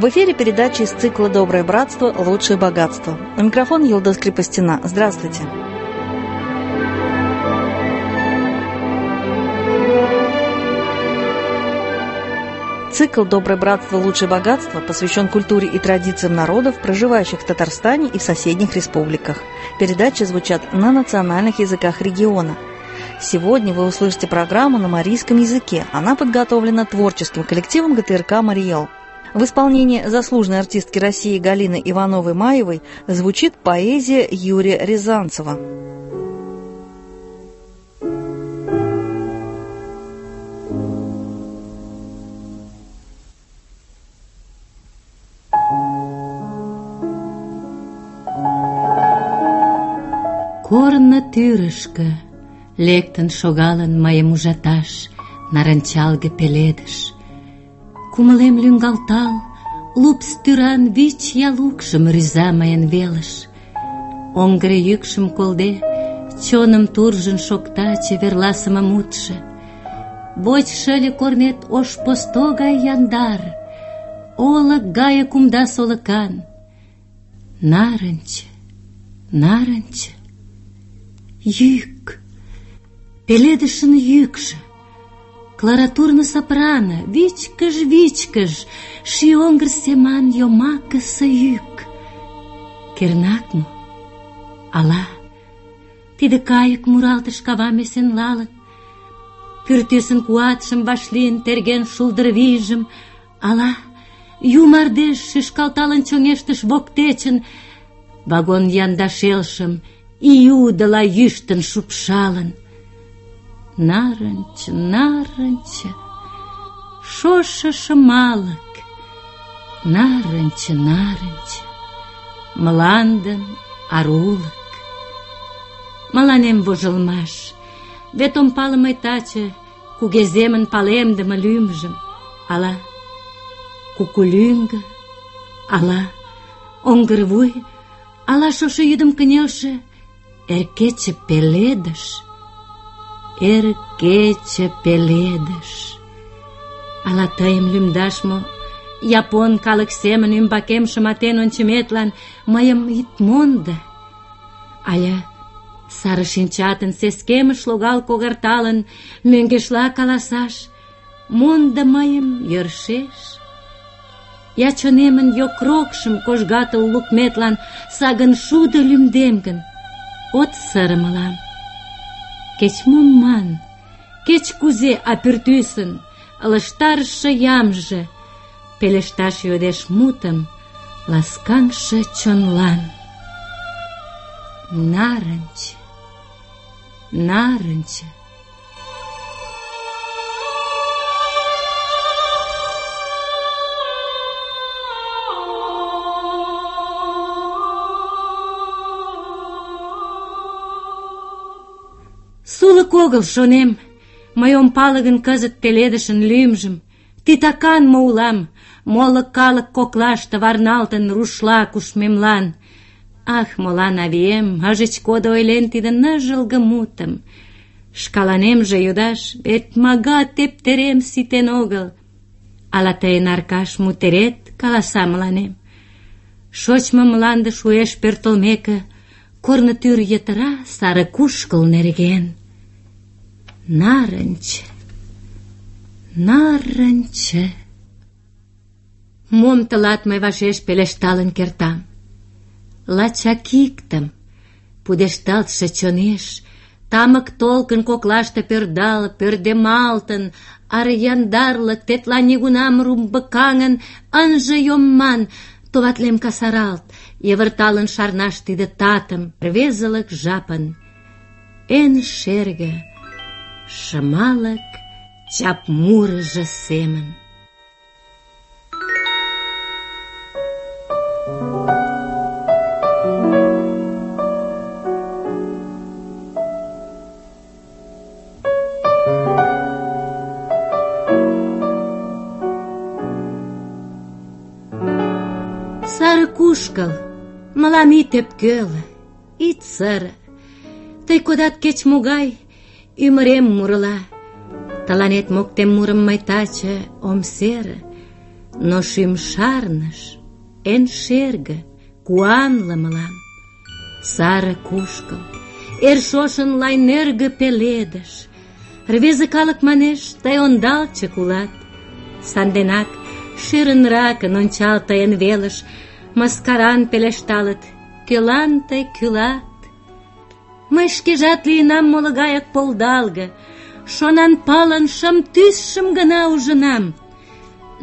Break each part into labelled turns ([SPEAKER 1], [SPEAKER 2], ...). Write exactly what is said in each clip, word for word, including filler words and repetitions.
[SPEAKER 1] В эфире передача из цикла «Доброе братство. Лучшее богатство». У микрофона Йылдыз Крепостина. Здравствуйте. Цикл «Доброе братство. Лучшее богатство» посвящен культуре и традициям народов, проживающих в Татарстане и в соседних республиках. Передачи звучат на национальных языках региона. Сегодня вы услышите программу на марийском языке. Она подготовлена творческим коллективом ГТРК «Мариэл». В исполнении заслуженной артистки России Галины Ивановой-Маевой звучит поэзия Юрия Рязанцева.
[SPEAKER 2] Корно тӱрышкӧ лектын шогалын мыйым ужаташ нарынчалге пеледыш. Кумылем лӱҥгалтал, лупс тӱран вич ял укшым рӱза мыйын велыш. Оҥгыр йӱкшым колде, чоным туржын шокта чеверласыме мутшо. Воч шыле корнет ош посто гай яндар, олык гае кумда солыкан. Нарынче, нарынче, йӱк, пеледышын йӱкшӧ, кларатурно сопрано, вичкыж-вичкыж, ший оҥгыр семан йомакысе йӱк. Кернак мо? Ала тиде кайык муралтыш кавам эсенлалын, пӱртӱсын куатшым вашлийын терген шулдыр вийжым? Ала ю мардеж шӱшкалталын чоҥештыш воктечын, вагон янда шелшым июдыла йӱштын шупшалын? Нарынче, нарынче, шошо шымалык, нарынче, нарынче, мландын арулык. Мыланем вожылмаш, вет ом пале мый таче кугеземын палемдыме лӱмжым. Ала кукулӱҥгӧ, ала оҥгыр вуй, ала шошо йӱдым кынелше эр кече пеледыш. Эр кече пеледыш. Ала тыйым лӱмдаш мо, япон калык семын ӱмбакем шыматен ончыметлан мыйым ит мондо. Ала сары шинчатын сескемыш логал когарталын, мӧҥгешла каласаш: мондо мыйым йӧршеш. Я чонемын йокрокшым кожгатыл лукметлан сагын шудо лӱмдем гын, от сыре мылам. Кеч-мом ман, кеч-кузе, а пӱртӱсын ылыжтарыше ямже пелешташ йодеш мутым ласкаҥше чонлан. Нарынче, нарынче. Сулык огыл, шонем, мый ом пале гын кызыт пеледышын лӱмжым. Титакан мо улам, моло калык коклаште варналтын рушла кушмемлан. Ах, молан авием ыжыч кодо ойлен тиде ныжылге мутым. Шкаланемже йодаш, вет мага тептерем ситен огыл. Ала тыйын Аркаш мутерет каласа мыланем? Шочмо мланде шуэш пӧртылмеке, корно тӱр йытыра сары кушкыл нерген. Нарынче, нарынче. Мом тылат мый вашеш пелешталын кертам? Лачак иктым, пудешталтше чонеш, тамык толкын коклаште пӧрдал, пӧрдемалтын, аре яндарлык тетла нигунам румбыкаҥын ынже йом ман, товатлем касаралт, йывырталын шарнаш тиде татым, рвезылык жапын эн шерге, шымалык чап мурыжо семын. Сары кушкыл, мылам ит ӧпкеле, ит сыре. Тый кодат кеч-могай ӱмырем мурыла. Тыланет моктем мурым мый таче ом сере. Но шӱм шарныш эн шерге, куанле мылам. Саре кушкыл, эр шошын лай нӧргӧ пеледыш. Рвезе калык манеш, тый ондалчык улат. Санденак шӧрынракын ончал тыйын велыш, мыскаран пелешталыт: кӧлан тый кӱлат? Мый шкежат лийынам моло гаяк полдалге, шонанпалын шым тӱсшым гына ужынам.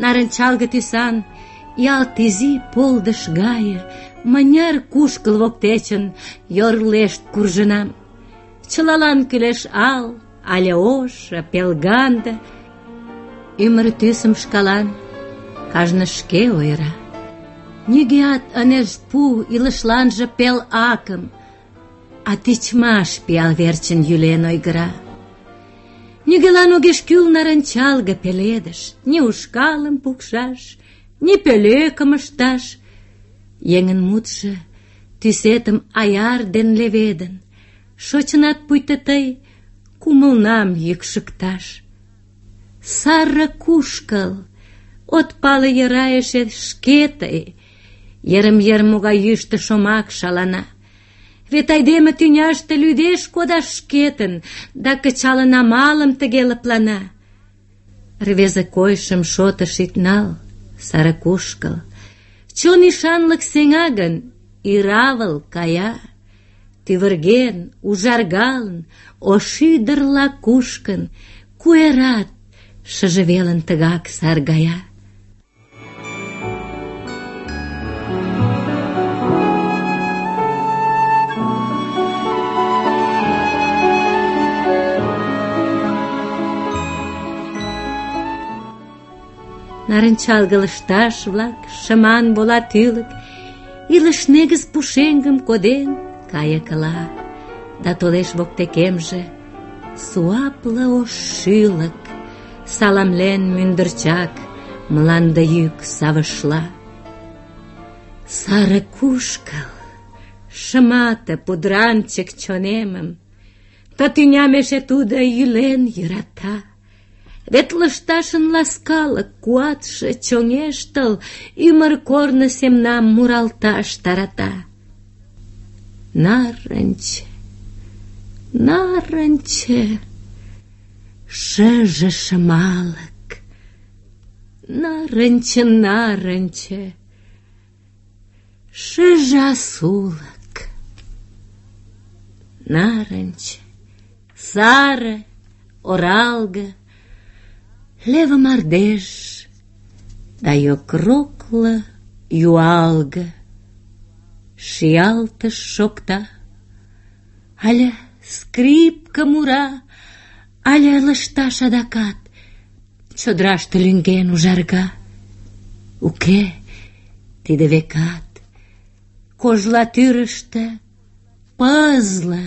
[SPEAKER 2] Нарынчалге тӱсан, ялт изи полдыш гае, мыняр кушкыл воктечын йорлешт куржынам. Чылалан кӱлеш ал, але ошо, пелганде. Ӱмыр тӱсым шкалан кажне шке ойыра. Нигӧат ынеж пу илышланже пел акым, а тичмаш пиал верчын йӱлен ойгыра. Нигӧлан огеш кӱл нарынчалге пеледыш, ни ушкалым пукшаш, ни пӧлекым ышташ. Еҥын мутшо тӱсетым аяр ден леведын, шочынат пуйто тый кумылнам йӱкшыкташ. Саре кушкыл, от пале йӧра эше шке тый, йырым-йыр могай йӱштӧ шомак шалана. Вет айдеме тӱняште лӱдеш кодаш шкетын, да кычалын амалым тыге лыплана. Рвезе койышым шотыш ит нал, саре кушкыл. Чон ӱшанлык сеҥа гын, иравыл кая. Тӱвырген, ужаргалын, ош ӱдырла кушкын, куэрат шыже велын тыгак саргая. Нарынчалге лышташ-влак, шыман вола тӱлык, илыш негыз пушеҥгым коден кайыкыла. Да толеш воктекемже суапле ош шӱлык, саламлен мӱндырчак мланде йӱк савышла. Саре кушкыл, шымате пудранчык чонемым, ты тӱням эше тудо йӱлен йӧрата. Вет лышташын ласкалык куатше чоҥештыл, ӱмыр корно семнам муралташ тарата. Нарынче, нарынче, шыже шымалык. Нарынче, нарынче, шыже асулык. Нарынче, саре, оралге, леве мардеж, да йокрокле юалге. Шиялтыш шокта, але скрипка мура, але лышташ адакат чодыраште лӱҥген ужарга. Уке, тиде векат кожла тӱрыштӧ пызле,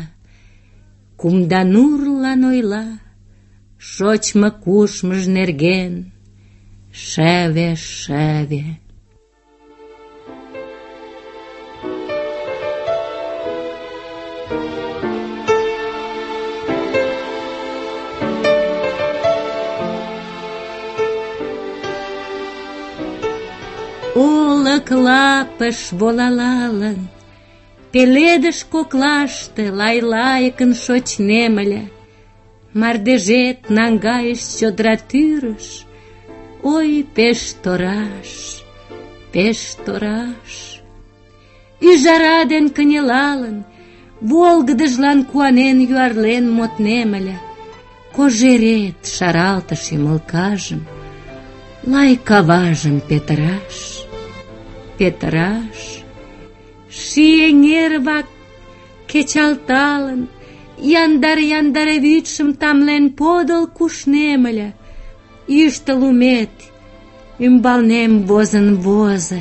[SPEAKER 2] кумда нурлан ойла шочмо-кушмыж нерген шеве-шеве. Олык лапыш волалалын, пеледыш коклаште лай-лайыкын шочнем ыле. Мардежет наҥгайыш чодыра тӱрыш, ой, пеш тораш, пеш тораш. Ӱжара ден кынелалын, волгыдыжлан куанен юарлен моднем ыле. Кожерет шаралтыш ӱмылкажым, лай каважым петыраш, петыраш. Ший эҥер-влак кечалталын, яндар-яндар вӱдшым тамлен подыл кушнем ыле. Йӱштӧ лумет ӱмбалнем возын возо.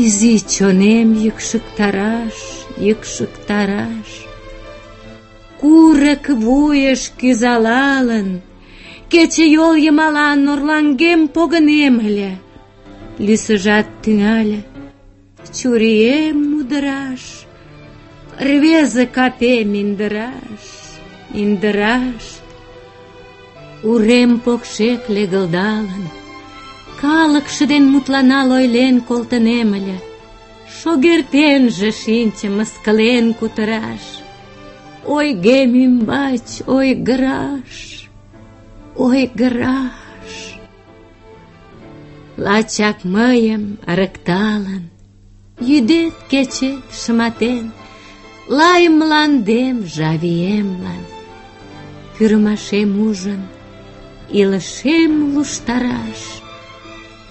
[SPEAKER 2] Изи чонем йӱкшыктараш, йӱкшыктараш. Курык вуйыш кӱзалалын, кечыйол йымалан орлаҥгем погынем ыле. Лӱсыжат тӱҥале чурием мудыраш, рвезе капем индыраш, индыраш. Урем покшек легылдалын, Калыкше ден мутланал ойлен колтынем ыле, шогертенже шинче мыскылен кутыраш. Ойгем ӱмбач ойгыраш, ойгыраш. Лачак мыйым ырыкталын, йӱдет-кечет шыматен, лай мландем жавиемлан, пӱрымашем ужын, илышем луштараш,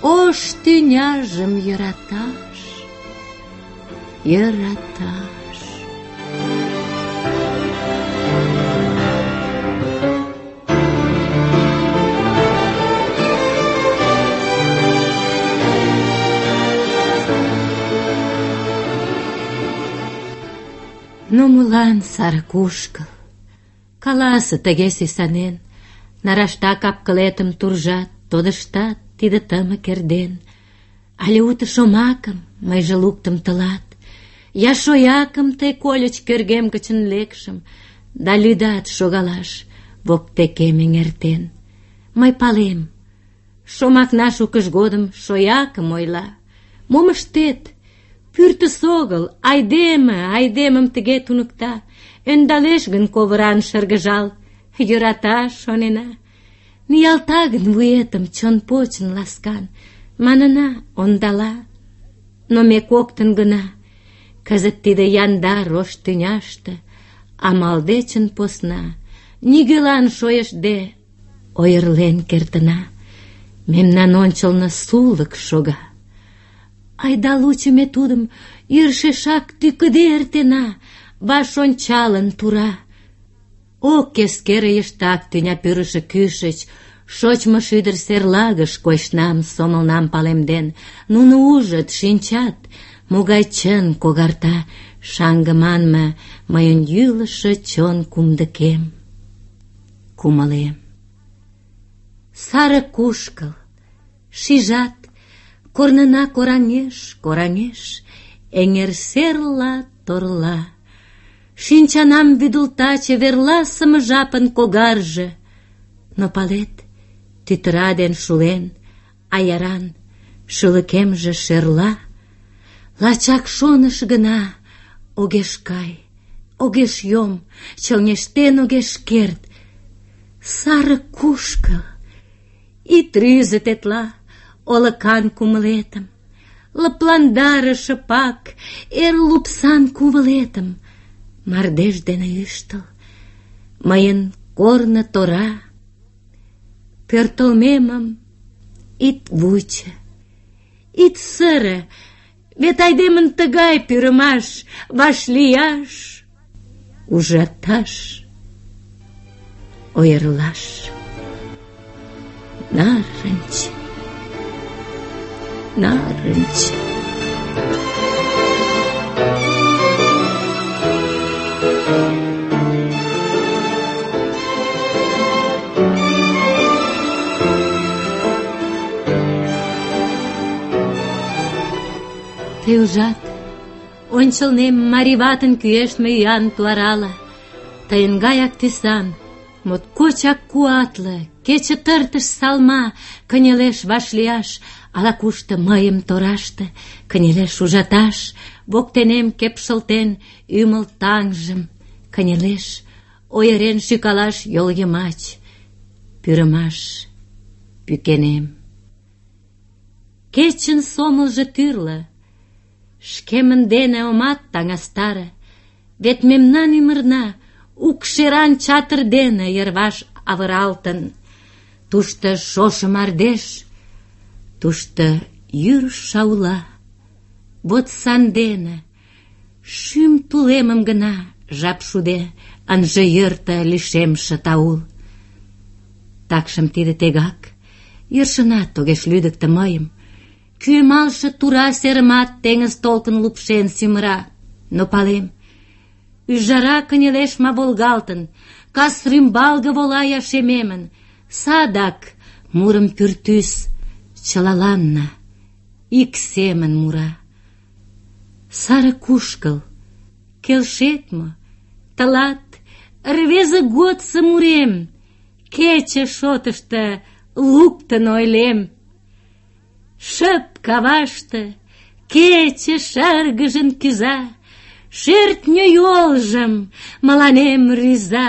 [SPEAKER 2] ош тӱняжым йӧраташ, йӧраташ. Но молан сар кушкыл? Каласе тыге сӱсанен, нарашта кап-кылетым туржат, тодыштат тиде тымык эрден. Але уто шомакым мыйже луктым тылат, я шоякым тый кольыч кӧргем гычын лекшым, да лӱдат шогалаш воктекем эҥертен. Мый палем, шомакна шукыж годым шоякым ойла. Мом ыштет? Пӱртӱс огыл, айдеме айдемым тыге туныкта. Ӧндалеш гын ковыран шыргыжал, йӧрата, шонена. Ниялта гын вуетым чон почын ласкан, манына, ондала. Но ме коктын гына кызыт тиде яндар ош тӱняште амал дечын посна, нигӧлан шойыштде ойырлен кертына. Мемнан ончылно сулык шога. Айда лучо ме тудым йӧршешак тӱкыде эртена, ваш ончалын тура. Ок эскере йыштак тӱня пӱрышӧ кӱшыч, шочмо шӱдыр серлагыш койышнам, сомылнам палемден. Нуно ужыт, шинчат, могай чын когарта шаҥге манме мыйын йӱлышӧ чон кумдыкем. Кумылем. Саре кушкыл, шижат, корнына кораҥеш, кораҥеш, эҥер серла торла. Шинчанам вӱдылта чеверласыме жапын когарже. Но палет, тӱтыра ден шулен, аяран шӱлыкемже шерла. Лачак шоныш гына огеш кай, огеш йом, чоҥештен огеш керт. Саре кушкыл, ит рӱзӧ тетла олыкан кумылетым, лыпландаре шыпак эр лупсан кувылетым. Мардеж дене ӱштыл мыйын корно тора. Пӧртылмемым ит вучо, ит сыре, вет айдемын тыгай пӱрымаш: вашлияш, ужаташ, ойырлаш. Нарынч, нарынч. Тый ужат, ончылнем марий ватын кӱэштме ӱян туарала. Тыйын гаяк тӱсан, моткочак куатле, кече тыртыш салма кынелеш вашлияш, ала-кушто мыйым тораште кынелеш ужаташ, воктенем кепшылтен ӱмыл таҥжым кынелеш ойырен шӱкалаш йол йымач. Пӱрымаш пӱкенем. Кечын сомылжо тӱрлӧ, шкемын дене омат таҥастаре, вет мемнан ӱмырна укшеран чатыр дене йырваш авыралтын. Тушто шошо мардеж, тушто йӱр шаула. Вот сандене шӱм тулемым гына жап шуде ынже йӧртӧ лишемше таул. Такшым тиде тегак йӧршынат огеш лӱдыктӧ мыйым. Кӱэмалше тура серымат теҥыз толкын лупшен сӱмыра. Но палем, ӱжара кынелеш ма волгалтын, кас рӱмбалге вола я шемемын. Садак мурым пӱртӱс чылаланна ик семын мура. Саре кушкыл, келшет мо? Тылат рвезе годсо мурем кече шотышто луктын ойлем. Шып каваште кече шыргыжын кӱза, шӧртньӧ йолжым мыланем рӱза,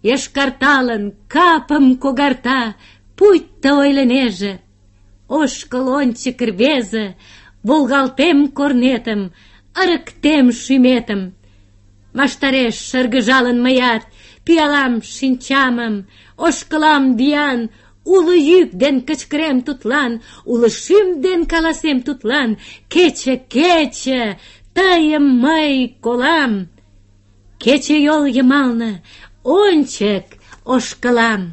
[SPEAKER 2] йошкарталын капым когарта, пуйто ойлынеже: ошкыл ончык, рвезе, волгалтем корнетым, ырыктем шӱметым. Ваштареш шыргыжалын мыят, пӱялам шинчамым, ошкылам виян, уло йӱк ден кычкырем тудлан, уло шӱм ден каласем тудлан: кече, кече, тыйым мый колам. Кече йол йымалне ончык ошкылам.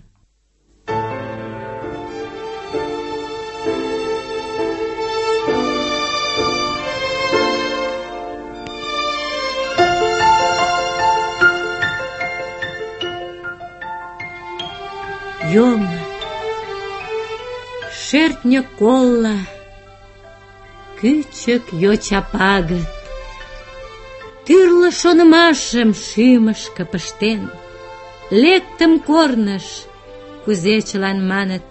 [SPEAKER 2] Йомо, шӧртньӧ колла, кӱчык йоча пагыт, тӱрлӧ шонымашым шӱмышкӧ пыштен, лектым корныш, кузе чылан маныт,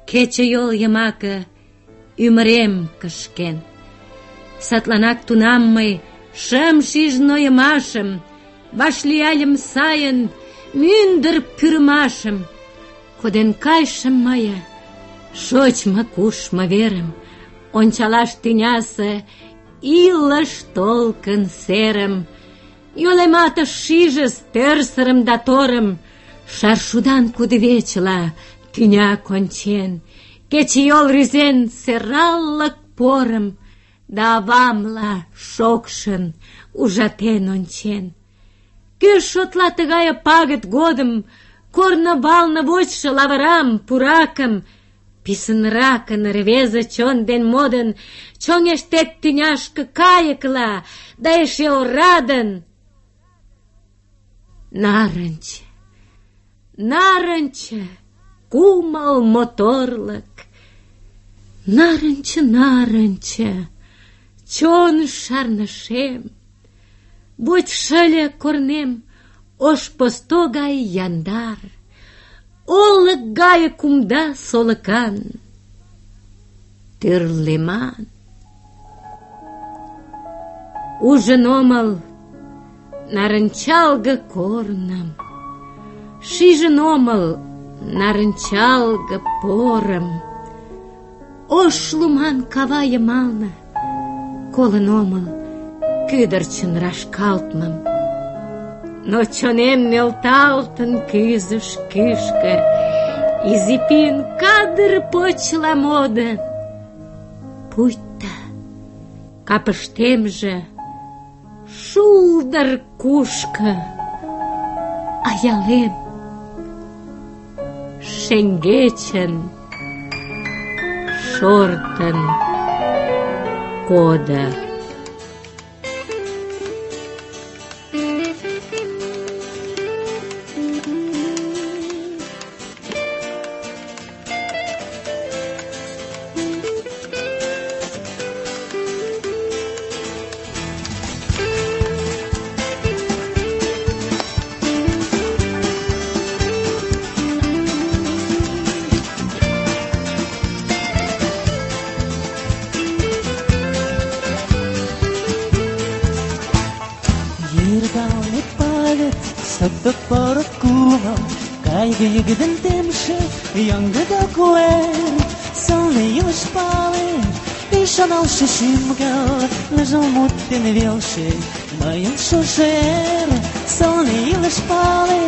[SPEAKER 2] кече йол йымаке ӱмырем кышкен. Садланак тунам мый шым шиж нойымашым, вашлияльым сайын мӱндыр пӱрымашым. Коден кайышым мые шочмо-кушмо верым, ончалаш тӱнясе илыш толкын серым. Йолемат ыш шижыс тӧрсырым да торым, шаршудан кудывечыла тӱня кончен, кечыйол рӱзен сӧраллык порым, да авамла шокшын ужатен ончен. Кӧ шотла тыгае пагыт годым корно балне вочшо лавырам, пуракым? Писынракын рвезе чон ден модын чоҥештет тӱняшке кайыкла, да эше орадын. Нарынче, нарынче, кумыл моторлык. Нарынче, нарынче, чон шарнышем. Будь шыле корнем ош посто гай яндар, олык гае кумда солыкан, тӱрлеман. Ужын омыл нарынчалге корным, шижын омыл нарынчалге порым. Ош луман кава йымалне колын омыл кӱдырчын рашкалтмым. Но чонем нӧлталтын кӱзыш кӱшкӧ, изи пӱйын кадыр почла модын. Пуйто капыштемже шулдыр кушко, аялем шеҥгечын шортын кодо.
[SPEAKER 3] Саптык порык кумыл, кайгы йыгыдын темше, яңгыда куэр, сылне илыш пале, ӱшаналше шӱм-гал, ныжыл мут дене велше, мыйын шошо эр. Сылне илыш пале,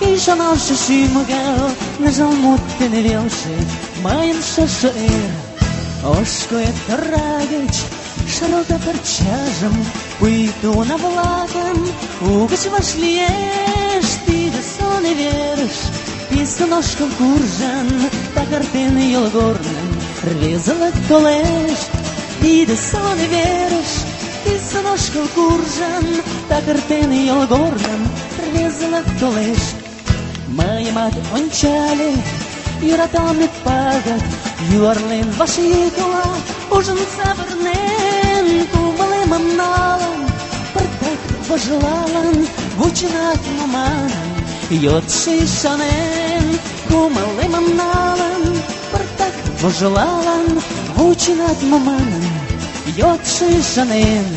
[SPEAKER 3] ӱшаналше шӱм-гал, ныжыл мут дене велше, мыйын шошо эр. Ош куэ тора гыч шаралта парчажым, пуйто уна-влакым угыч вашлиеш. Тиде сылне верыш писын ошкыл куржын, такыртен йолгорным рвезылык толеш. Тиде сылне верыш писын ошкыл куржын, такыртен йолгорным рвезылык толеш. Мыйымат ончале йӧраталме пагыт, юарлен вашйӱкла, ужын савырнен, кумылемым налын, пыртак вожылалын, вученат мо манын, йодшо ӱшанен. Кумылемым налын, пыртак вожылалын, Наученат мо манын йодшо ӱшанен.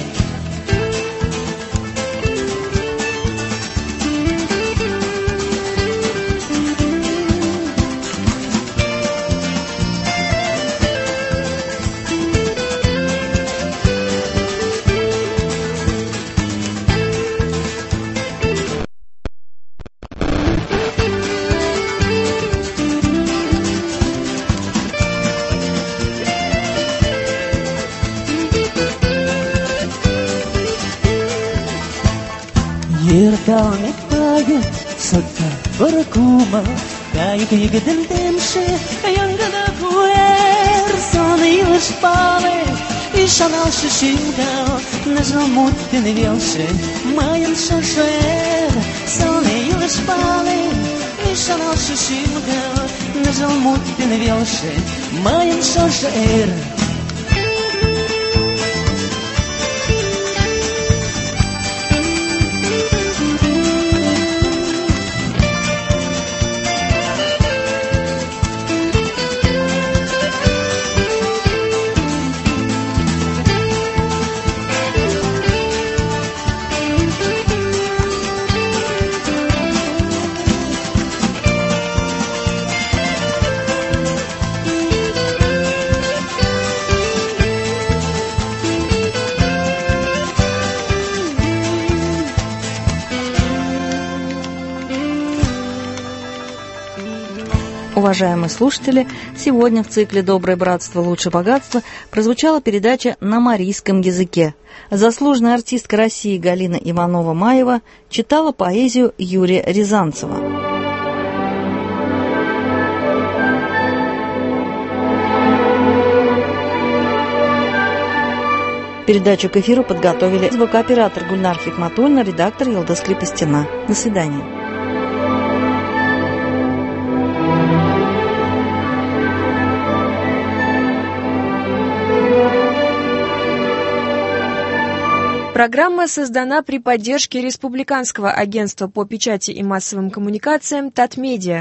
[SPEAKER 3] Ердалне кайык сотта бұрыкума, кайык егідін темші, яңғыда куэр, соны илыш палы, ишаналшы шингал, нажал муттен велші, майын шошер, соны илыш палы, ишаналшы шингал, нажал муттен велші, майын шошер.
[SPEAKER 1] Уважаемые слушатели, сегодня в цикле «Доброе братство, лучше богатство» прозвучала передача на марийском языке. Заслуженная артистка России Галина Иванова-Маева читала поэзию Юрия Рязанцева. Передачу к эфиру подготовили звукооператор Гульнар Хикматульна, редактор Елдос Крепостина. До свидания.
[SPEAKER 4] Программа создана при поддержке Республиканского агентства по печати и массовым коммуникациям «Татмедиа».